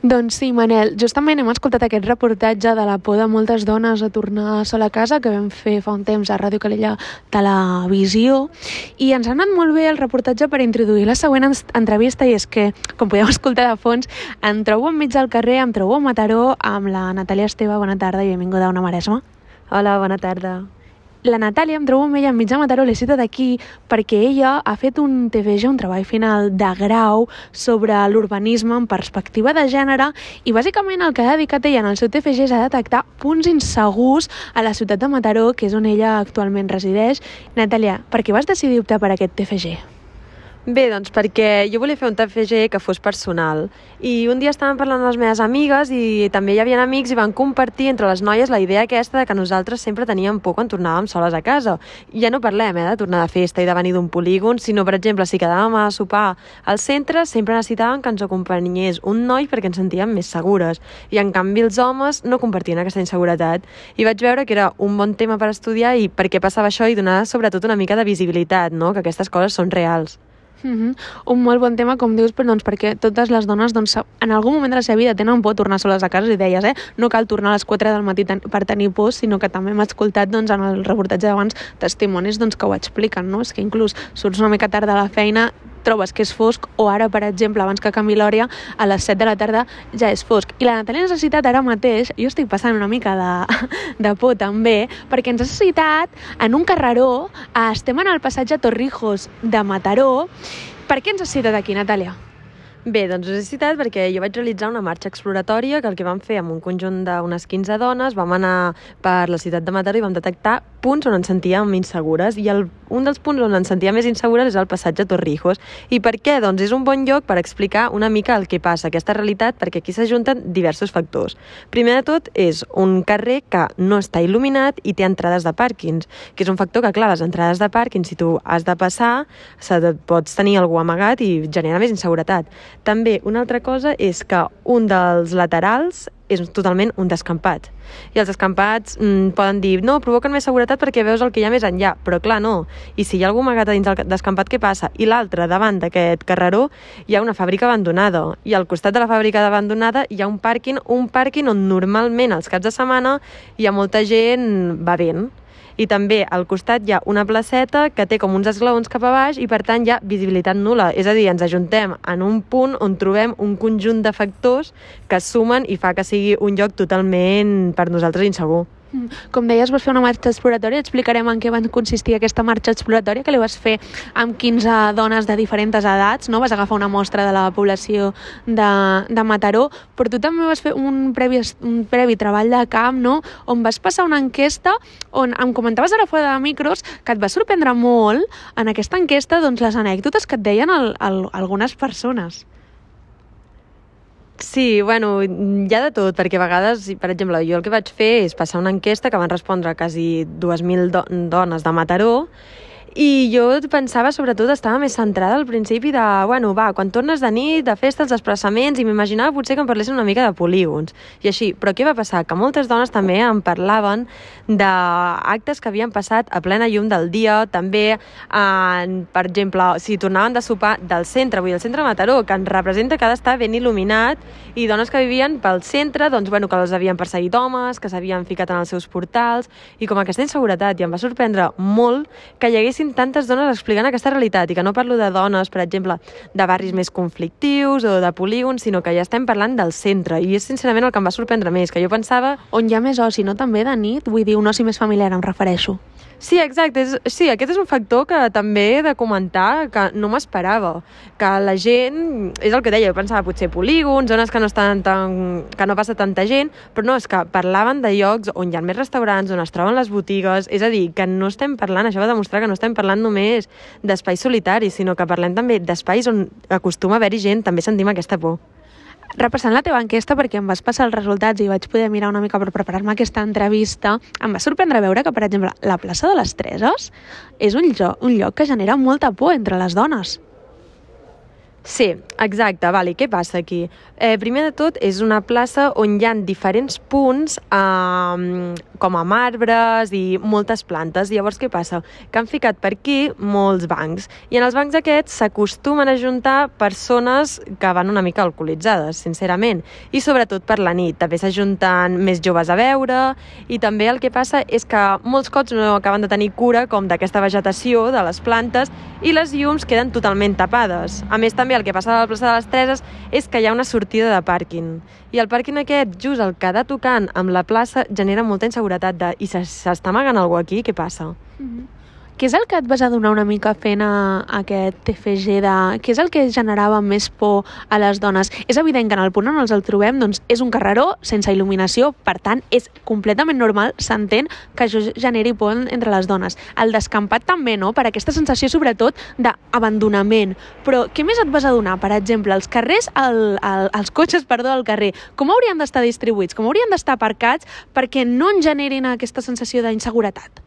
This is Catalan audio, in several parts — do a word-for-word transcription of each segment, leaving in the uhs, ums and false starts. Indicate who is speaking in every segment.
Speaker 1: Doncs sí, Manel, justament hem escoltat aquest reportatge de la por de moltes dones a tornar sola a casa que vam fer fa un temps a Ràdio Calella Televisió, i ens ha anat molt bé el reportatge per introduir la següent entrevista, i és que, com podeu escoltar de fons, em trobo enmig del carrer, em trobo a Mataró amb la Natàlia Esteve. Bona tarda i benvinguda a Ona Maresma.
Speaker 2: Hola, bona tarda.
Speaker 1: La Natàlia, em trobo amb ella enmig de Mataró, l'he citat aquí perquè ella ha fet un T F G, un treball final de grau sobre l'urbanisme en perspectiva de gènere, i bàsicament el que ha dedicat ella en el seu T F G és a detectar punts insegurs a la ciutat de Mataró, que és on ella actualment resideix. Natàlia, per què vas decidir optar per aquest T F G?
Speaker 2: Bé, doncs perquè jo volia fer un T F G que fos personal, i un dia estàvem parlant amb les meves amigues i també hi havia amics i van compartir entre les noies la idea aquesta de que nosaltres sempre teníem por quan tornàvem soles a casa. I ja no parlem eh, de tornar de festa i de venir d'un polígon, sinó, per exemple, si quedàvem a sopar al centre, sempre necessitàvem que ens acompanyés un noi perquè ens sentíem més segures, i en canvi els homes no compartien aquesta inseguretat. I vaig veure que era un bon tema per estudiar i per què passava això, i donar sobretot una mica de visibilitat, no? Que aquestes coses són reals.
Speaker 1: Uh-huh. Un molt bon tema, com dius, però, doncs, perquè totes les dones doncs, en algun moment de la seva vida tenen por de tornar soles a casa, i deies, eh? No cal tornar a les quatre del matí ten- per tenir por, sinó que també hem escoltat doncs, en el reportatge d'abans testimonis doncs, que ho expliquen, no? És que inclús surts una mica tard de la feina, trobes que és fosc, o ara, per exemple, abans que canvi l'hora, a les set de la tarda ja és fosc. I la Natàlia ens ha citat ara mateix, jo estic passant una mica de, de por també, perquè ens ha citat en un carreró, estem en el passatge Torrijos de Mataró. Per què ens has citat aquí, Natàlia?
Speaker 2: Bé, doncs us he citat perquè jo vaig realitzar una marxa exploratòria que el que vam fer amb un conjunt d'unes quinze dones, vam anar per la ciutat de Mataró i vam detectar punts on ens sentíem insegures, i el, un dels punts on ens sentíem més insegures és el passatge Torrijos. I per què? Doncs és un bon lloc per explicar una mica el que passa, aquesta realitat, perquè aquí s'ajunten diversos factors. Primer de tot, és un carrer que no està il·luminat i té entrades de pàrquings, que és un factor que, clar, les entrades de pàrquing, si tu has de passar, pots tenir algú amagat i genera més inseguretat. També una altra cosa és que un dels laterals és totalment un descampat. I els descampats mm, poden dir, no, provoquen més seguretat perquè veus el que hi ha més enllà, però clar, no. I si hi ha algú amagat a dins del descampat, què passa? I l'altre, davant d'aquest carreró, hi ha una fàbrica abandonada, i al costat de la fàbrica abandonada hi ha un pàrquing, un pàrquing on normalment els caps de setmana hi ha molta gent bevent. I també al costat hi ha una placeta que té com uns esglaons cap a baix, i per tant hi ha visibilitat nul·la. És a dir, ens ajuntem en un punt on trobem un conjunt de factors que sumen i fa que sigui un lloc totalment per nosaltres insegur.
Speaker 1: Com deies, vas fer una marxa exploratòria. Explicarem en què va consistir aquesta marxa exploratòria, que li vas fer amb quinze dones de diferents edats, no? Vas agafar una mostra de la població de, de Mataró, però tu també vas fer un previ, un previ treball de camp, no? On vas passar una enquesta on em comentaves ara fora de micros que et va sorprendre molt en aquesta enquesta doncs, les anècdotes que et deien el, el, algunes persones.
Speaker 2: Sí, bueno, hi ha de tot, perquè a vegades, per exemple, jo el que vaig fer és passar una enquesta que van respondre quasi dues mil do- dones de Mataró, i jo pensava, sobretot, estava més centrada al principi de, bueno, va, quan tornes de nit, de festa, els desplaçaments, i m'imaginava potser que em parlessin una mica de polígons, i així. Però què va passar? Que moltes dones també em parlaven d'actes que havien passat a plena llum del dia, també, en, per exemple, si tornaven de sopar del centre, vull dir, el centre de Mataró, que ens representa que ha d'estar ben il·luminat, i dones que vivien pel centre, doncs, bueno, que els havien perseguit homes, que s'havien ficat en els seus portals, i com aquesta inseguretat, i em va sorprendre molt que hi haguessin tantes dones explicant aquesta realitat, i que no parlo de dones, per exemple, de barris més conflictius o de polígons, sinó que ja estem parlant del centre, i és sincerament el que em va sorprendre més, que jo pensava...
Speaker 1: On hi ha més oci, no? També de nit, vull dir, un oci més familiar, em refereixo.
Speaker 2: Sí, exacte. És, sí, aquest és un factor que també he de comentar, que no m'esperava. Que la gent, és el que deia, jo pensava potser polígons, zones que no estan tan, que no passa tanta gent, però no, és que parlaven de llocs on hi ha més restaurants, on es troben les botigues, és a dir, que no estem parlant, això va demostrar que no estem parlant només d'espais solitaris, sinó que parlem també d'espais on acostuma a haver-hi gent, també sentim aquesta por.
Speaker 1: Repassant la teva enquesta, perquè em vas passar els resultats i vaig poder mirar una mica per preparar-me aquesta entrevista, em va sorprendre veure que, per exemple, la plaça de les Treses és un lloc, un lloc que genera molta por entre les dones.
Speaker 2: Sí, exacte. Vale. Què passa aquí? Eh, primer de tot, és una plaça on hi ha diferents punts eh, com a marbres i moltes plantes. Llavors, què passa? Que han ficat per aquí molts bancs. I en els bancs aquests s'acostumen a juntar persones que van una mica alcoholitzades, sincerament. I sobretot per la nit. També s'ajunten més joves a veure i també el que passa és que molts cops no acaben de tenir cura com d'aquesta vegetació, de les plantes, i les llums queden totalment tapades. A més, també el que passa a la plaça de les Treses és que hi ha una sortida de pàrquing. I el pàrquing aquest, just el que ha tocant amb la plaça, genera molta inseguretat de i s'està amagant algú aquí, què passa?
Speaker 1: Mm-hmm. Què és el que et vas adonar una mica fent a aquest T F G de... Què és el que generava més por a les dones? És evident que en el punt on ens el trobem doncs, és un carreró sense il·luminació, per tant, és completament normal, s'entén que això generi por entre les dones. El descampat també, no?, per aquesta sensació sobretot d'abandonament. Però què més et vas adonar? Per exemple, els carrers, el, el, els cotxes, perdó, al carrer, com haurien d'estar distribuïts? Com haurien d'estar aparcats perquè no en generin aquesta sensació d'inseguretat?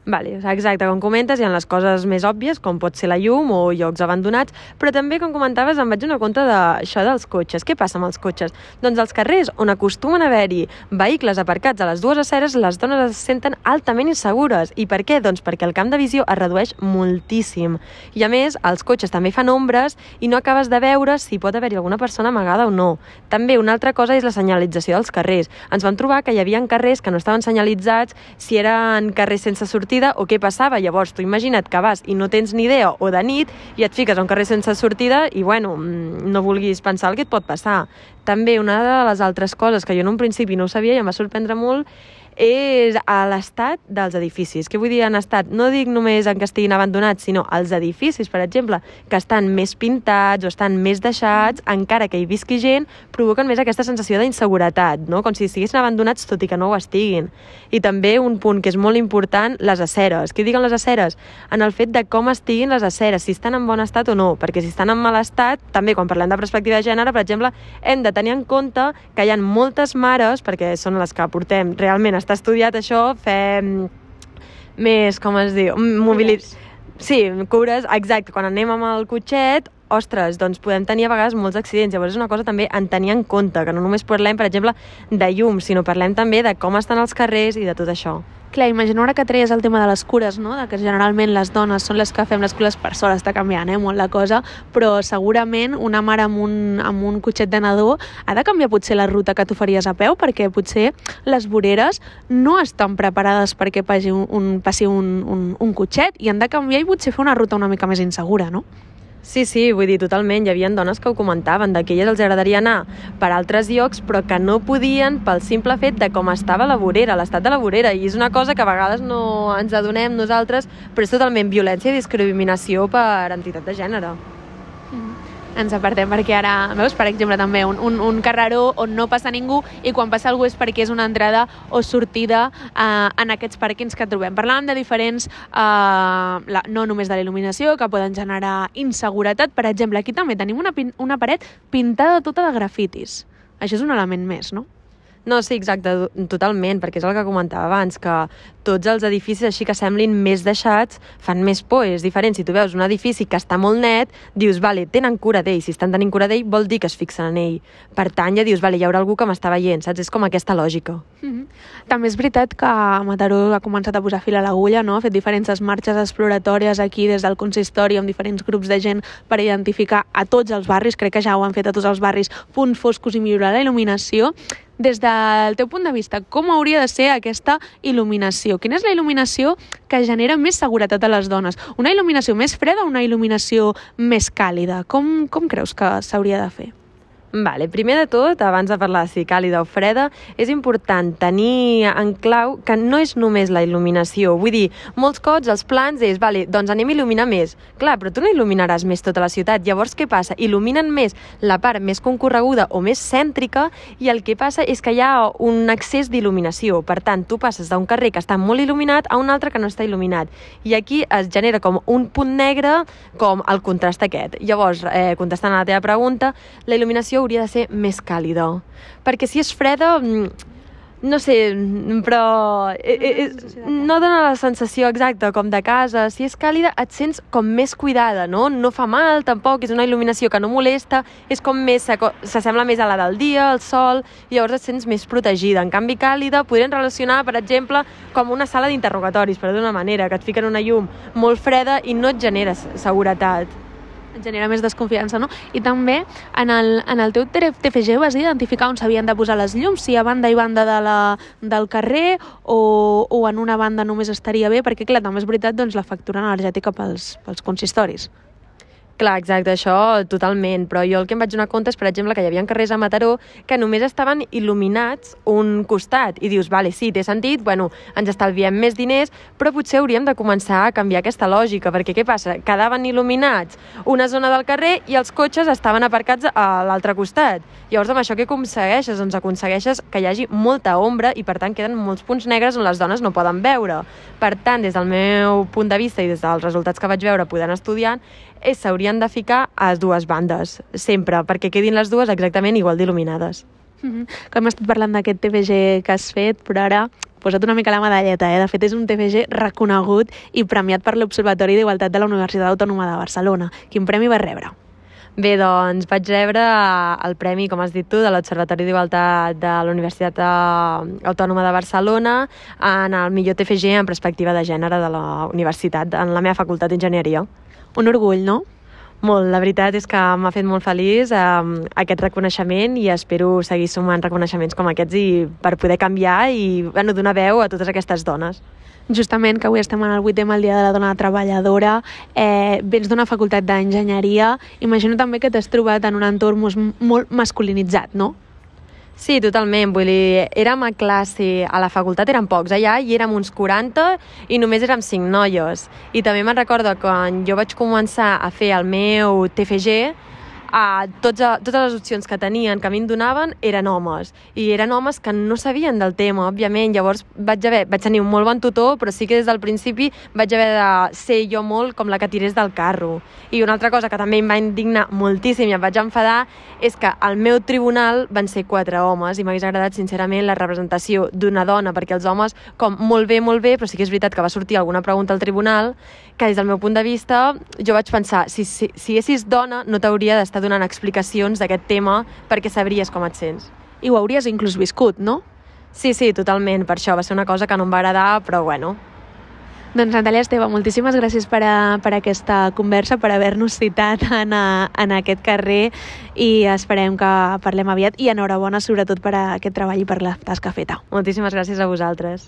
Speaker 2: Vale, exacte, com comentes, hi ha les coses més òbvies, com pot ser la llum o llocs abandonats, però també, com comentaves, em vaig donar compte d'això dels cotxes. Què passa amb els cotxes? Doncs als carrers on acostumen a haver-hi vehicles aparcats a les dues aceres, les dones es senten altament insegures. I per què? Doncs perquè el camp de visió es redueix moltíssim. I a més, els cotxes també fan ombres i no acabes de veure si pot haver-hi alguna persona amagada o no. També una altra cosa és la senyalització dels carrers. Ens vam trobar que hi havia carrers que no estaven senyalitzats, si eren carrers sense sortida o què passava. Llavors, tu imagina't que vas i no tens ni idea o de nit i et fiques a un carrer sense sortida i, bueno, no vulguis pensar el que et pot passar. També una de les altres coses que jo en un principi no ho sabia i em va sorprendre molt és a l'estat dels edificis. Què vull dir en estat? No dic només en que estiguin abandonats, sinó els edificis, per exemple, que estan més pintats o estan més deixats, encara que hi visqui gent, provoquen més aquesta sensació d'inseguretat, no? Com si estiguessin abandonats tot i que no ho estiguin. I també un punt que és molt important, les aceres. Què diguen les aceres? En el fet de com estiguin les aceres, si estan en bon estat o no, perquè si estan en mal estat, també quan parlem de perspectiva de gènere, per exemple, hem de tenir en compte que hi ha moltes mares, perquè són les que portem realment està estudiat això, fem més, com es diu, mobilitat. Sí, cures, exacte, quan anem amb el cotxet, ostres, doncs podem tenir a vegades molts accidents. Llavors és una cosa també en tenir en compte, que no només parlem, per exemple, de llum, sinó parlem també de com estan els carrers i de tot això.
Speaker 1: Clar, imagino ara que treies el tema de les cures, no? De que generalment les dones són les que fem les cures, per sort està canviant, eh, molt la cosa, però segurament una mare amb un, amb un cotxet de nadó ha de canviar potser la ruta que tu faries a peu, perquè potser les voreres no estan preparades perquè passi un, un, passi un, un, un cotxet i han de canviar i potser fer una ruta una mica més insegura, no?
Speaker 2: Sí, sí, vull dir, totalment. Hi havia dones que ho comentaven, de que elles els agradaria anar per altres llocs, però que no podien pel simple fet de com estava la vorera, l'estat de la vorera. I és una cosa que a vegades no ens adonem nosaltres, però és totalment violència i discriminació per entitat de gènere.
Speaker 1: Mm-hmm. Ens apartem perquè ara, veus, per exemple, també un, un, un carreró on no passa ningú i quan passa algú és perquè és una entrada o sortida eh, en aquests pàrquings que trobem. Parlàvem de diferents, eh, la, no només de la il·luminació, que poden generar inseguretat. Per exemple, aquí també tenim una, una paret pintada tota de grafitis. Això és un element més, no?
Speaker 2: No, sí, exacte, totalment, perquè és el que comentava abans, que tots els edificis així que semblin més deixats fan més por, és diferent. Si tu veus un edifici que està molt net, dius, vale, tenen cura d'ell, si estan tenint cura d'ell vol dir que es fixen en ell. Per tant, ja dius, vale, hi haurà algú que m'està veient, saps? És com aquesta lògica.
Speaker 1: Mm-hmm. També és veritat que Mataró ha començat a posar fil a l'agulla, no? Ha fet diferents marxes exploratòries aquí des del consistori amb diferents grups de gent per identificar a tots els barris, crec que ja ho han fet a tots els barris, punts foscos i millorar la il·luminació. Des del teu punt de vista, com hauria de ser aquesta il·luminació? Quina és la il·luminació que genera més seguretat a les dones? Una il·luminació més freda o una il·luminació més càlida? Com, com creus que s'hauria de fer?
Speaker 2: Vale, primer de tot, abans de parlar de si càlida o freda, és important tenir en clau que no és només la il·luminació. Vull dir, molts cops els plans és, vale, doncs anem a il·luminar més. Clar, però tu no il·luminaràs més tota la ciutat. Llavors, què passa? Il·luminen més la part més concorreguda o més cèntrica i el que passa és que hi ha un excés d'il·luminació. Per tant, tu passes d'un carrer que està molt il·luminat a un altre que no està il·luminat. I aquí es genera com un punt negre, com el contrast aquest. Llavors, eh, contestant a la teva pregunta, la il·luminació hauria de ser més càlida. Perquè si és freda, no sé, però eh, eh, no dona la sensació exacta com de casa. Si és càlida et sents com més cuidada, no? No fa mal tampoc, és una il·luminació que no molesta, és com més, s'assembla més a la del dia, al sol, i llavors et sents més protegida. En canvi, càlida podrien relacionar, per exemple, com una sala d'interrogatoris, per d'una manera, que et fiquen una llum molt freda i no et genera seguretat.
Speaker 1: Et genera més desconfiança, no? I també en el, en el teu T F G vas identificar on s'havien de posar les llums, si a banda i banda de la, del carrer o, o en una banda només estaria bé, perquè clar, també és veritat doncs, la factura energètica pels, pels consistoris.
Speaker 2: Clar, exacte, això totalment, però jo el que em vaig donar compte és, per exemple, que hi havia carrers a Mataró que només estaven il·luminats un costat, i dius, vale, sí, té sentit, bueno, ens estalviem més diners, però potser hauríem de començar a canviar aquesta lògica, perquè què passa? Quedaven il·luminats una zona del carrer i els cotxes estaven aparcats a l'altre costat. Llavors, amb això què aconsegueixes? Doncs aconsegueixes que hi hagi molta ombra i, per tant, queden molts punts negres on les dones no poden veure. Per tant, des del meu punt de vista i des dels resultats que vaig veure podent estudiar, s'haurien de ficar a les dues bandes, sempre, perquè quedin les dues exactament igual d'il·luminades.
Speaker 1: Mm-hmm. Com hem estat parlant d'aquest T F G que has fet, però ara posa't una mica la medalleta, eh? De fet, és un T F G reconegut i premiat per l'Observatori d'Igualtat de la Universitat Autònoma de Barcelona. Quin premi vas rebre?
Speaker 2: Bé, doncs vaig rebre el premi, com has dit tu, de l'Observatori d'Igualtat de la Universitat Autònoma de Barcelona en el millor T F G en perspectiva de gènere de la universitat, en la meva facultat d'Enginyeria.
Speaker 1: Un orgull, no?
Speaker 2: Molt, la veritat és que m'ha fet molt feliç eh, aquest reconeixement i espero seguir sumant reconeixements com aquests i per poder canviar i bueno, donar veu a totes aquestes dones.
Speaker 1: Justament que avui estem en el vuitè el Dia de la Dona Treballadora, eh, vens d'una facultat d'enginyeria, imagino també que t'has trobat en un entorn molt masculinitzat, no?
Speaker 2: Sí, totalment, vull dir, érem a classe, a la facultat érem pocs allà i érem uns quaranta i només érem cinc noies. I també me'n recordo quan jo vaig començar a fer el meu T F G, a tots, a, totes les opcions que tenien, que a mi em donaven, eren homes. I eren homes que no sabien del tema, òbviament. Llavors vaig, haver, vaig tenir un molt bon tutor, però sí que des del principi vaig haver de ser jo molt com la que tirés del carro. I una altra cosa que també em va indignar moltíssim i em vaig enfadar és que al meu tribunal van ser quatre homes i m'hagués agradat, sincerament, la representació d'una dona, perquè els homes, com molt bé, molt bé, però sí que és veritat que va sortir alguna pregunta al tribunal que des del meu punt de vista jo vaig pensar, si, si, si haguessis dona no t'hauria d'estar donant explicacions d'aquest tema perquè sabries com et sents.
Speaker 1: I ho hauries inclús viscut, no?
Speaker 2: Sí, sí, totalment. Per això va ser una cosa que no em va agradar, però bueno.
Speaker 1: Doncs Natàlia Esteve, moltíssimes gràcies per, a, per aquesta conversa, per haver-nos citat en, a, en aquest carrer i esperem que parlem aviat i enhorabona sobretot per a aquest treball i per la tasca feta.
Speaker 2: Moltíssimes gràcies a vosaltres.